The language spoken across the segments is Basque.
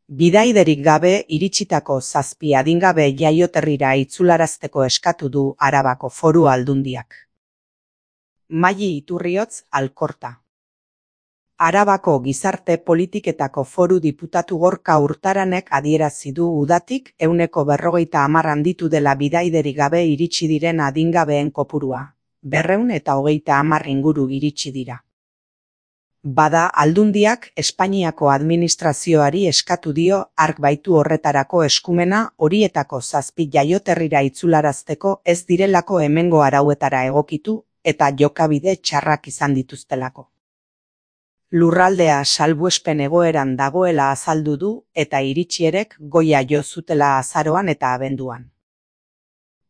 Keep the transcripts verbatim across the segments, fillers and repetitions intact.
Bidaiderik gabe iritsitako zazpi adingabe jaioterrira itzularazteko eskatu du Arabako Foru Aldundiak. Maili Iturriotz, Alkorta. Arabako Gizarte Politiketako Foru Diputatu Gorka Urtaranek adierazi du udatik ehuneko berrogeita hamar handitu dela bidaiderik gabe iritsi diren adingabeen kopurua, berrehun eta hogeita hamar inguru iritsi dira. Bada, Aldundiak Espainiako administrazioari eskatu dio hark baitu horretarako eskumena horietako zazpi jaioterrira itzularazteko ez direlako hemengo arauetara egokitu eta jokabide txarrak izan dituztelako. Lurraldea salbuespen egoeran dagoela azaldu du eta iritsierek goia jo zutela azaroan eta abenduan.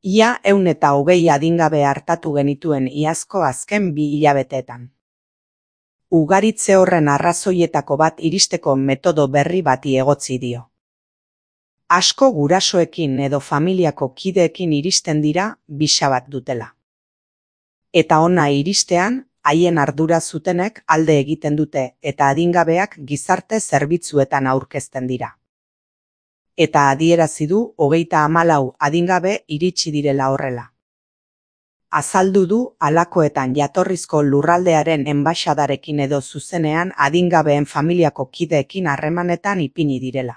Ia ehun eta hogei adingabe hartatu genituen iazko azken bi hilabeteetan. Ugaritze horren arrazoietako bat iristeko metodo berri bati egotzi dio. Asko gurasoekin edo familiako kideekin iristen dira bisa bat dutela. Eta ona iristean, haien ardura zutenek alde egiten dute eta adingabeak gizarte zerbitzuetan aurkezten dira. Eta adierazi du hogeita hamalau adingabe iritsi direla horrela. Azaldu du halakoetan jatorrizko lurraldearen enbaxadarekin edo zuzenean adingabeen familiako kideekin harremanetan ipini direla.